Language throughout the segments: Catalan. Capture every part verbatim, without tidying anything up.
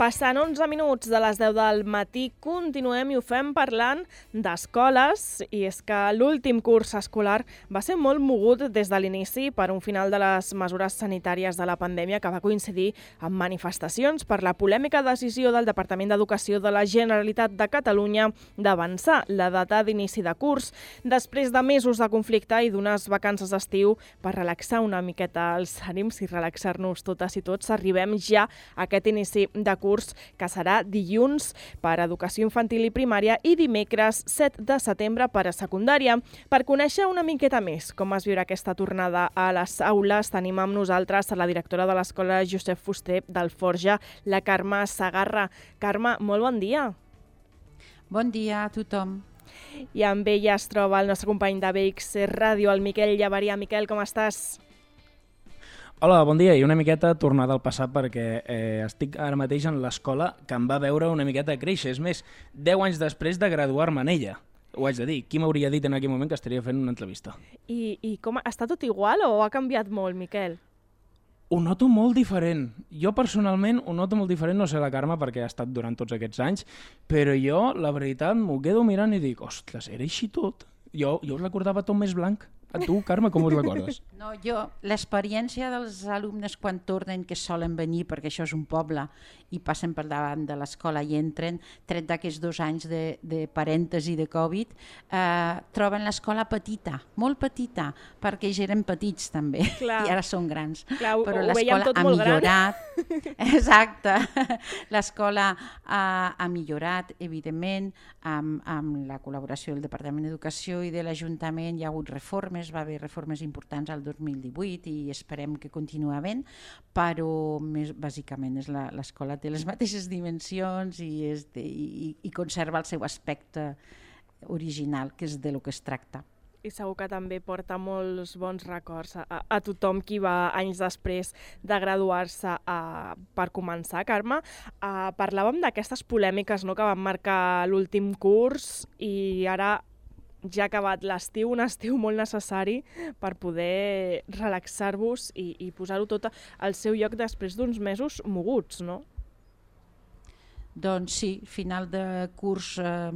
Passant onze minuts de les deu del matí, continuem i ho fem parlant d'escoles, i és que l'últim curs escolar va ser molt mogut des de l'inici per un final de les mesures sanitàries de la pandèmia que va coincidir amb manifestacions per la polèmica decisió del Departament d'Educació de la Generalitat de Catalunya d'avançar la data d'inici de curs després de mesos de conflicte i d'unes vacances d'estiu per relaxar una miqueta els ànims i relaxar-nos totes i tots. Arribem ja a aquest inici de curs que serà dilluns per a educació infantil i primària i dimecres set de setembre per a secundària. Per conèixer una miqueta més com es viurà aquesta tornada a les aules, tenim amb nosaltres a la directora de l'Escola Josep Fuster d'Alforja, la Carme Segarra. Carme, molt bon dia. Bon dia a tothom. I amb ella es troba el nostre company de B X Ràdio, el Miquel Llaveria. Miquel, com estàs? Hola, bon dia, i una miqueta tornada al passat perquè eh, estic ara mateix en l'escola que em va veure una miqueta créixer. És més, deu anys després de graduar-me en ella. Ho haig de dir. Qui m'hauria dit en aquell moment que estaria fent una entrevista? I, i com, està tot igual o ha canviat molt, Miquel? Ho noto molt diferent. Jo personalment ho noto molt diferent, no sé la Carme perquè ha estat durant tots aquests anys, però jo, la veritat, m'ho quedo mirant i dic, ostres, era així tot? Jo, jo us recordava tot més blanc. A tu, Carme, com us recordes? No, jo, l'experiència dels alumnes quan tornen, que solen venir, perquè això és un poble, i passen per davant de l'escola i entren, tret d'aquests dos anys de, de parèntesi de Covid, eh, troben l'escola petita, molt petita, perquè ja eren petits també, Clar. I ara són grans. Clar, ho, però ho l'escola ha millorat. Exacte. L'escola ha, ha millorat, evidentment, amb, amb la col·laboració del Departament d'Educació i de l'Ajuntament hi ha hagut reformes, va haver reformes importants al dos mil divuit i esperem que continuï havent, però més, bàsicament és la, l'escola té les mateixes dimensions i, és de, i, i conserva el seu aspecte original, que és de lo que es tracta. I segur que també porta molts bons records a, a tothom qui va anys després de graduar-se a, per començar. Carme, a, parlàvem d'aquestes polèmiques, no?, que van marcar l'últim curs i ara ja ha acabat l'estiu, un estiu molt necessari per poder relaxar-vos i, i posar-ho tot al seu lloc després d'uns mesos moguts, no? Doncs sí, final de curs eh,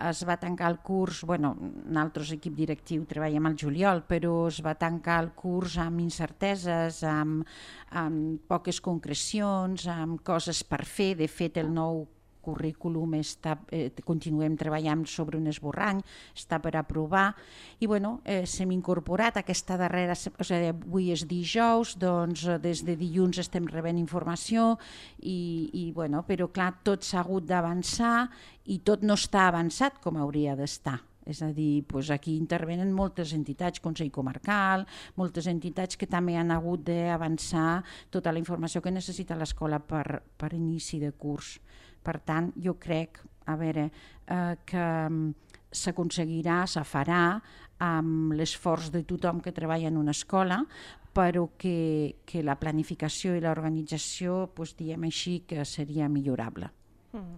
es va tancar el curs, bueno, nosaltres, equip directiu, treballem al juliol, però es va tancar el curs amb incerteses, amb, amb poques concrecions, amb coses per fer. De fet, el nou currículum està, eh, continuem treballant sobre un esborrany, està per aprovar i bueno, eh, s'hem incorporat aquesta darrera, o sigui, avui és dijous, doncs des de dilluns estem rebent informació i, i bueno, però clar, tot s'ha hagut d'avançar i tot no està avançat com hauria d'estar. És a dir, doncs aquí intervenen moltes entitats, Consell Comarcal, moltes entitats que també han hagut d'avançar tota la informació que necessita l'escola per, per inici de curs. Per tant, jo crec, a veure, eh, que s'aconseguirà, se farà amb l'esforç de tothom que treballa en una escola, però que, que la planificació i l'organització, doncs, diem així, que seria millorable. Mm.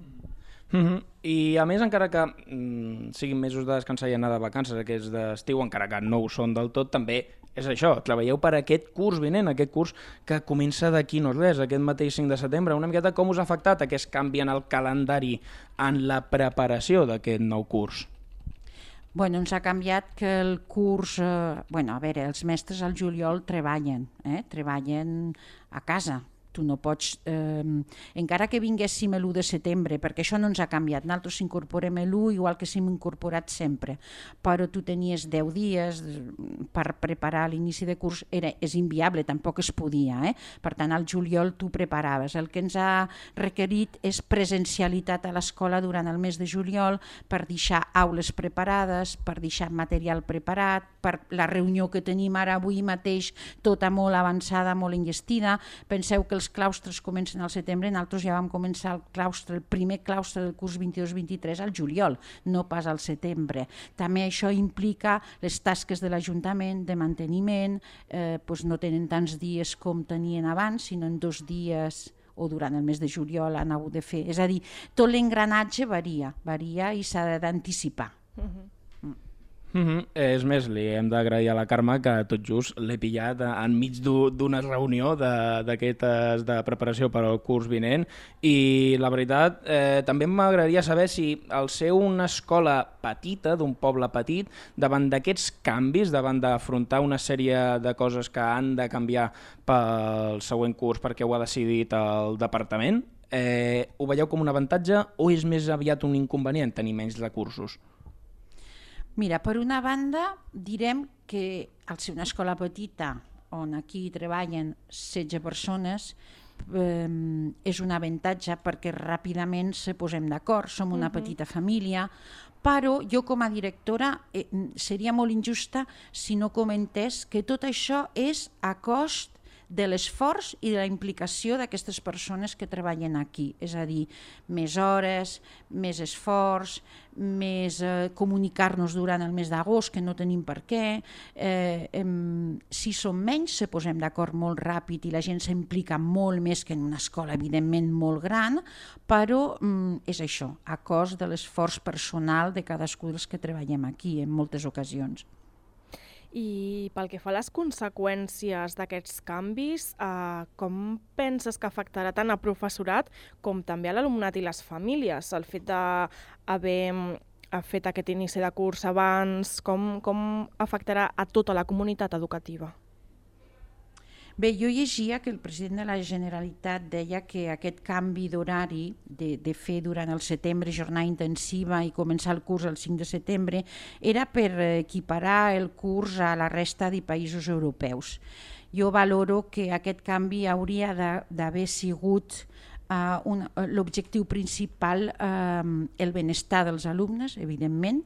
Mm-hmm. I a més, encara que mm, siguin mesos de descansar i anar de vacances, aquests d'estiu, encara que no ho són del tot, també és això, treballeu per aquest curs vinent, aquest curs que comença d'aquí no res, aquest mateix cinc de setembre. Una miqueta com us ha afectat aquest canvi en el calendari, en la preparació d'aquest nou curs? Bueno, ens ha canviat que el curs... Eh, bueno, a veure, els mestres al juliol treballen, eh? treballen a casa. Tu no pots, eh, encara que vinguéssim l'u de setembre, perquè això no ens ha canviat, nosaltres incorporem l'u igual que s'hem incorporat sempre, però tu tenies deu dies per preparar l'inici de curs, era, és inviable, tampoc es podia, eh? Per tant al juliol tu preparaves. El que ens ha requerit és presencialitat a l'escola durant el mes de juliol per deixar aules preparades, per deixar material preparat, per la reunió que tenim ara avui mateix, tota molt avançada, molt enllestida. Penseu que els claustres comencen al setembre, nosaltres ja vam començar el claustre, el primer claustre del curs vint-i-dos vint-i-tres al juliol, no pas al setembre. També això implica les tasques de l'Ajuntament, de manteniment, eh, doncs no tenen tants dies com tenien abans, sinó en dos dies o durant el mes de juliol han hagut de fer. És a dir, tot l'engranatge varia, varia i s'ha d'anticipar. Uh-huh. Mm. Mm -hmm. És més, li hem d'agrair a la Carme que tot just l'he pillat enmig d'una reunió d'aquestes de, de preparació per al curs vinent i la veritat eh, també m'agradaria saber si al ser una escola petita, d'un poble petit, davant d'aquests canvis, davant d'afrontar una sèrie de coses que han de canviar pel següent curs perquè ho ha decidit el departament, eh, ho veieu com un avantatge o és més aviat un inconvenient tenir menys recursos? Mira, per una banda, direm que al ser una escola petita, on aquí treballen setze persones, eh, és un avantatge perquè ràpidament se posem d'acord, som una uh-huh. petita família, però jo com a directora eh, seria molt injusta si no comentés que tot això és a cost de l'esforç i de la implicació d'aquestes persones que treballen aquí. És a dir, més hores, més esforç, més eh, comunicar-nos durant el mes d'agost, que no tenim per què. Eh, eh, si som menys, se posem d'acord molt ràpid i la gent s'implica molt més que en una escola, evidentment, molt gran, però eh, és això, a cost de l'esforç personal de cadascú dels que treballem aquí en moltes ocasions. I pel que fa a les conseqüències d'aquests canvis, eh, com penses que afectarà tant a professorat com també a l'alumnat i les famílies? El fet d'haver fet aquest inici de curs abans, com, com afectarà a tota la comunitat educativa? Bé, jo llegia que el president de la Generalitat deia que aquest canvi d'horari, de, de fer durant el setembre jornada intensiva i començar el curs el cinc de setembre, era per equiparar el curs a la resta de països europeus. Jo valoro que aquest canvi hauria d'haver sigut Uh, l'objectiu principal, uh, el benestar dels alumnes, evidentment,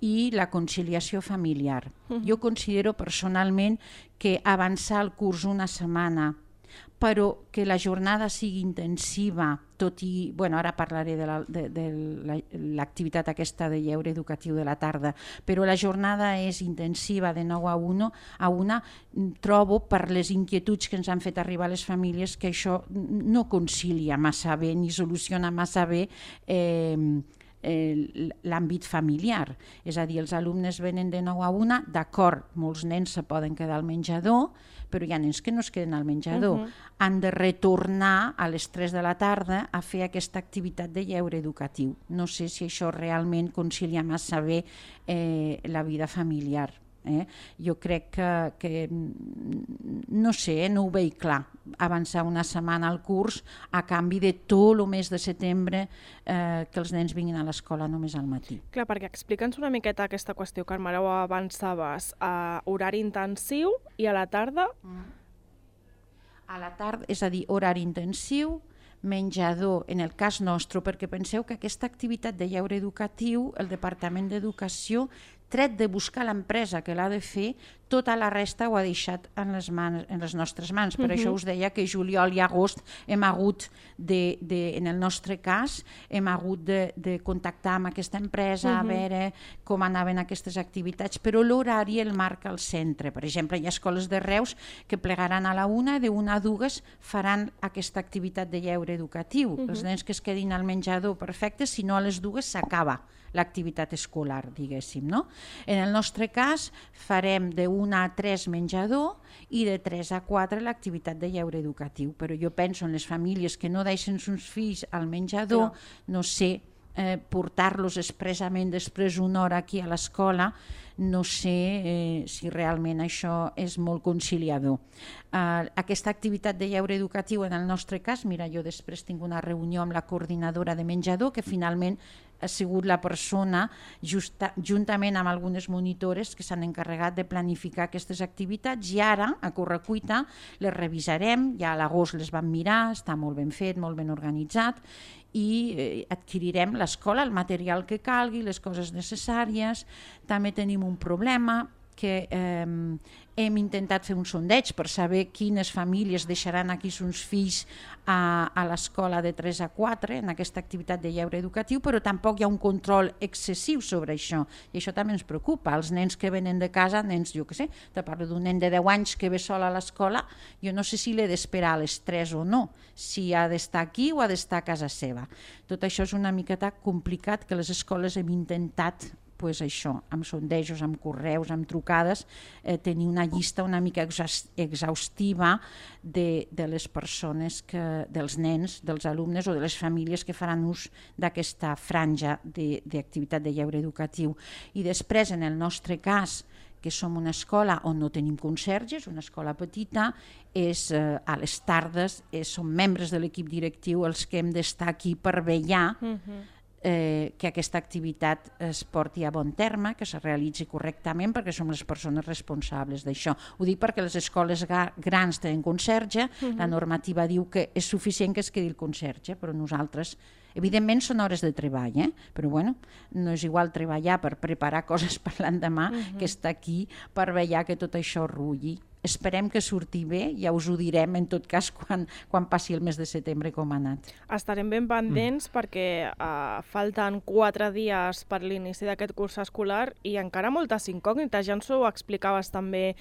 i la conciliació familiar. Uh-huh. Jo considero personalment que avançar el curs una setmana, però que la jornada sigui intensiva, tot i, bueno, ara parlaré de, la, de, de l'activitat aquesta de lleure educatiu de la tarda, però la jornada és intensiva de nou a una, a una trobo per les inquietuds que ens han fet arribar les famílies que això no concilia massa bé ni soluciona massa bé eh, l'àmbit familiar. És a dir, els alumnes venen de nou a una, d'acord, molts nens se poden quedar al menjador, però hi ha nens que no es queden al menjador. Uh-huh. Han de retornar a les tres de la tarda a fer aquesta activitat de lleure educatiu. No sé si això realment concilia massa bé eh, la vida familiar. Eh? Jo crec que, que no sé, eh, no ho veig clar, avançar una setmana al curs a canvi de tot el mes de setembre eh, que els nens vinguin a l'escola només al matí. Clar, perquè explica'ns una miqueta aquesta qüestió, Carme, ara ho avançaves, a horari intensiu i a la tarda? Mm. A la tarda, és a dir, horari intensiu, menjador, en el cas nostre, perquè penseu que aquesta activitat de lleure educatiu, el Departament d'Educació, tret de buscar l'empresa que l'ha de fer, tota la resta ho ha deixat en les, mans, en les nostres mans. Per uh-huh. això us deia que juliol i agost hem hagut, de, de, en el nostre cas, hem hagut de, de contactar amb aquesta empresa, uh-huh. a veure com anaven aquestes activitats, però l'horari el marca el centre. Per exemple, hi ha escoles de Reus que plegaran a la una, de una a dues faran aquesta activitat de lleure educatiu. Uh-huh. Els nens que es quedin al menjador, perfecte, si no a les dues s'acaba l'activitat escolar, diguéssim, no? En el nostre cas farem de una a tres menjador i de tres a quatre l'activitat de lleure educatiu, però jo penso en les famílies que no deixen sus fills al menjador, no, no sé, eh, portar-los expressament després una hora aquí a l'escola, no sé eh, si realment això és molt conciliador. Uh, aquesta activitat de lleure educatiu en el nostre cas, mira, jo després tinc una reunió amb la coordinadora de menjador que finalment ha sigut la persona, justa, juntament amb algunes monitores que s'han encarregat de planificar aquestes activitats i ara, a correcuita, les revisarem, ja a l'agost les vam mirar, està molt ben fet, molt ben organitzat i eh, adquirirem l'escola, el material que calgui, les coses necessàries. També tenim un problema que eh, hem intentat fer un sondeig per saber quines famílies deixaran aquí sus fills a, a l'escola de tres a quatre en aquesta activitat de lleure educatiu, però tampoc hi ha un control excessiu sobre això i això també ens preocupa. Els nens que venen de casa, nens, jo què sé, te parlo d'un nen de deu anys que ve sol a l'escola, jo no sé si l'he d'esperar a les tres o no, si ha d'estar aquí o ha d'estar a casa seva. Tot això és una miqueta complicat que les escoles hem intentat pues això, amb sondejos, amb correus, amb trucades, eh, tenir una llista una mica exhaustiva de, de les persones, que, dels nens, dels alumnes o de les famílies que faran ús d'aquesta franja d'activitat de, de lleure educatiu. I després, en el nostre cas, que som una escola on no tenim conserges, una escola petita, és eh, a les tardes, eh, som membres de l'equip directiu els que hem d'estar aquí per vetllar uh-huh. eh, que aquesta activitat es porti a bon terme, que se realitzi correctament, perquè som les persones responsables d'això. Ho dic perquè les escoles grans tenen conserge, uh-huh. la normativa diu que és suficient que es quedi el conserge, però nosaltres, evidentment són hores de treball, eh? Però bueno, no és igual treballar per preparar coses per l'endemà uh-huh. que estar aquí per vetllar que tot això rulli. Esperem que surti bé, ja us ho direm en tot cas quan, quan passi el mes de setembre com ha anat. Estarem ben pendents mm. perquè uh, falten quatre dies per l'inici d'aquest curs escolar i encara moltes incògnites. Ja ens ho explicaves també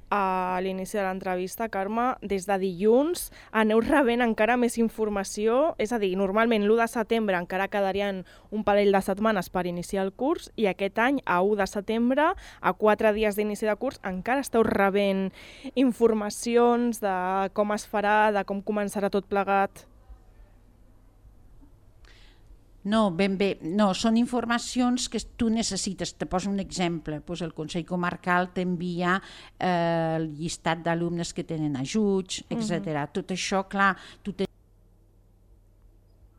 a l'inici de l'entrevista, Carme. Des de dilluns aneu rebent encara més informació, és a dir, normalment l'u de setembre encara quedarien un parell de setmanes per iniciar el curs i aquest any, a u de setembre, a quatre dies d'inici de curs, encara esteu rebent informacions de com es farà, de com començarà tot plegat? No, ben bé, no, són informacions que tu necessites. Te poso un exemple, doncs el Consell Comarcal t'envia eh, el llistat d'alumnes que tenen ajuts, etcètera. Uh-huh. Tot això, clar, tu tens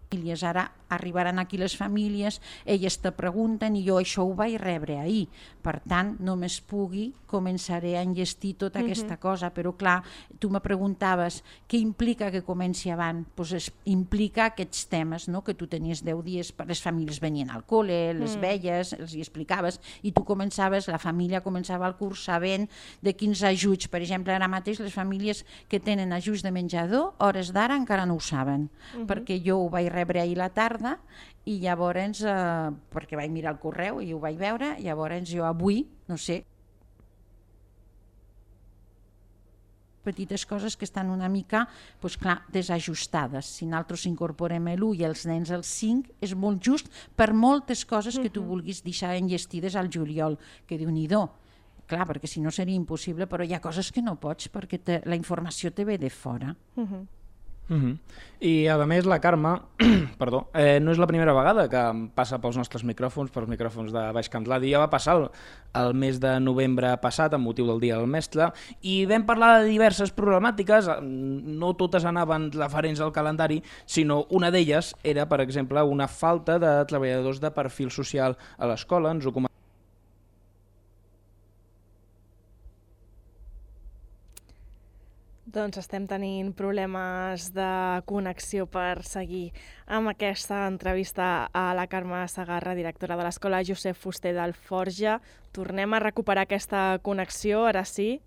famílies, ara arribaran aquí les famílies, elles te pregunten i jo això ho vaig rebre ahir, per tant només pugui començaré a enllestir tota uh-huh. aquesta cosa, però clar, tu me preguntaves què implica que comenci abans, doncs es, implica aquests temes, no? Que tu tenies deu dies, les famílies venien al col·le, les mm. veies, els hi explicaves i tu començaves, la família començava el curs sabent de quins ajuts, per exemple ara mateix les famílies que tenen ajuts de menjador, hores d'ara encara no ho saben, uh-huh. perquè jo ho vaig rebre ahir la tarda i llavors, eh, perquè vaig mirar el correu i ho vaig veure, llavors jo avui, no sé, petites coses que estan una mica doncs clar, desajustades. Si nosaltres incorporem l'u i els nens el cinc, és molt just per moltes coses que tu vulguis deixar enllestides al juliol, que Déu-n'hi-do. Clar, perquè si no seria impossible, però hi ha coses que no pots perquè te, la informació te ve de fora. Uh-huh. Uh-huh. I a més la Carme perdó, eh, no és la primera vegada que passa pels nostres micròfons, pels micròfons de Baix Camp d'Ladi. Ja va passar el, el mes de novembre passat amb motiu del Dia del Mestre i vam parlar de diverses problemàtiques, no totes anaven referents al calendari, sinó una d'elles era, per exemple, una falta de treballadors de perfil social a l'escola. Ens ho comentava. Doncs estem tenint problemes de connexió per seguir amb aquesta entrevista a la Carme Segarra, directora de l'Escola Josep Fuster d'Alforja. Tornem a recuperar aquesta connexió, ara sí.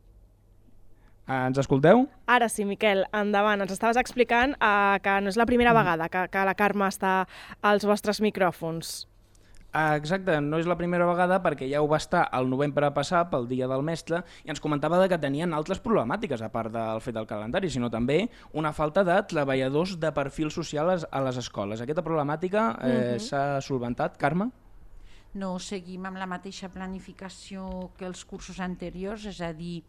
Ens escolteu? Ara sí, Miquel, endavant. Ens estaves explicant eh, que no és la primera vegada que, que la Carme està als vostres micròfons. Exacte, no és la primera vegada perquè ja ho va estar el novembre passat pel Dia del Mestre i ens comentava que tenien altres problemàtiques a part del fet del calendari, sinó també una falta de treballadors de perfil social a les escoles. Aquesta problemàtica eh, uh-huh. s'ha solventat, Carme? No, seguim amb la mateixa planificació que els cursos anteriors, és a dir,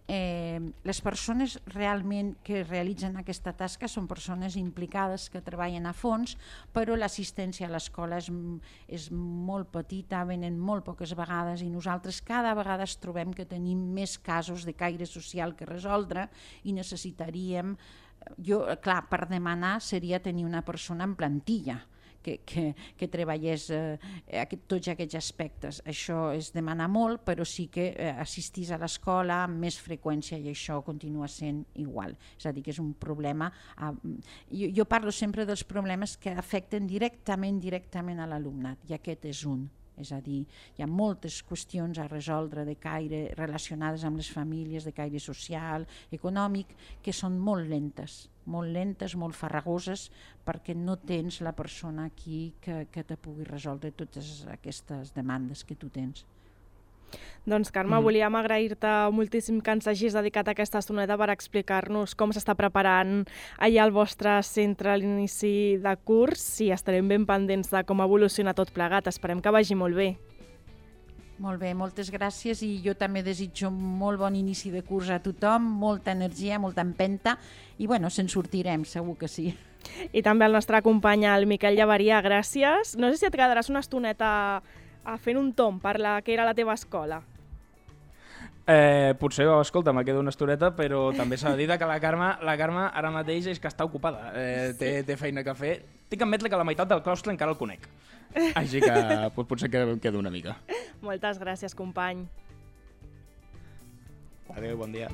eh, les persones realment que realitzen aquesta tasca són persones implicades que treballen a fons, però l'assistència a l'escola és, és molt petita, venen molt poques vegades i nosaltres cada vegada es trobem que tenim més casos de caire social que resoldre i necessitaríem, jo, clar, per demanar seria tenir una persona en plantilla, Que, que, que treballés eh, aquest, tots aquests aspectes. Això és demanar molt, però sí que eh, assistís a l'escola amb més freqüència i això continua sent igual. És a dir, que és un problema... Eh, jo, jo parlo sempre dels problemes que afecten directament, directament a l'alumnat, i aquest és un. És a dir, hi ha moltes qüestions a resoldre de caire relacionades amb les famílies, de caire social, econòmic, que són molt lentes, molt lentes, molt farragoses, perquè no tens la persona aquí que, que te pugui resoldre totes aquestes demandes que tu tens. Doncs Carme, mm. volíem agrair-te moltíssim que ens hagis dedicat aquesta estoneta per explicar-nos com s'està preparant allà al vostre centre a l'inici de curs i estarem ben pendents de com evoluciona tot plegat. Esperem que vagi molt bé. Molt bé, moltes gràcies i jo també desitjo molt bon inici de curs a tothom, molta energia, molta empenta i bueno, se'n sortirem, segur que sí. I també al nostre company, el Miquel Llaveria, gràcies. No sé si et quedaràs una estoneta a fent un tomb per la que era la teva escola. Eh, potser, escolta, me quedo una estoneta, però també s'ha de dir que la Carme, la Carme ara mateix és que està ocupada, eh, té, té feina que fer. Tinc que admetre que la meitat del claustre encara el conec, així que pues, potser que em quedo una mica. Moltes gràcies, company. Adéu, bon dia.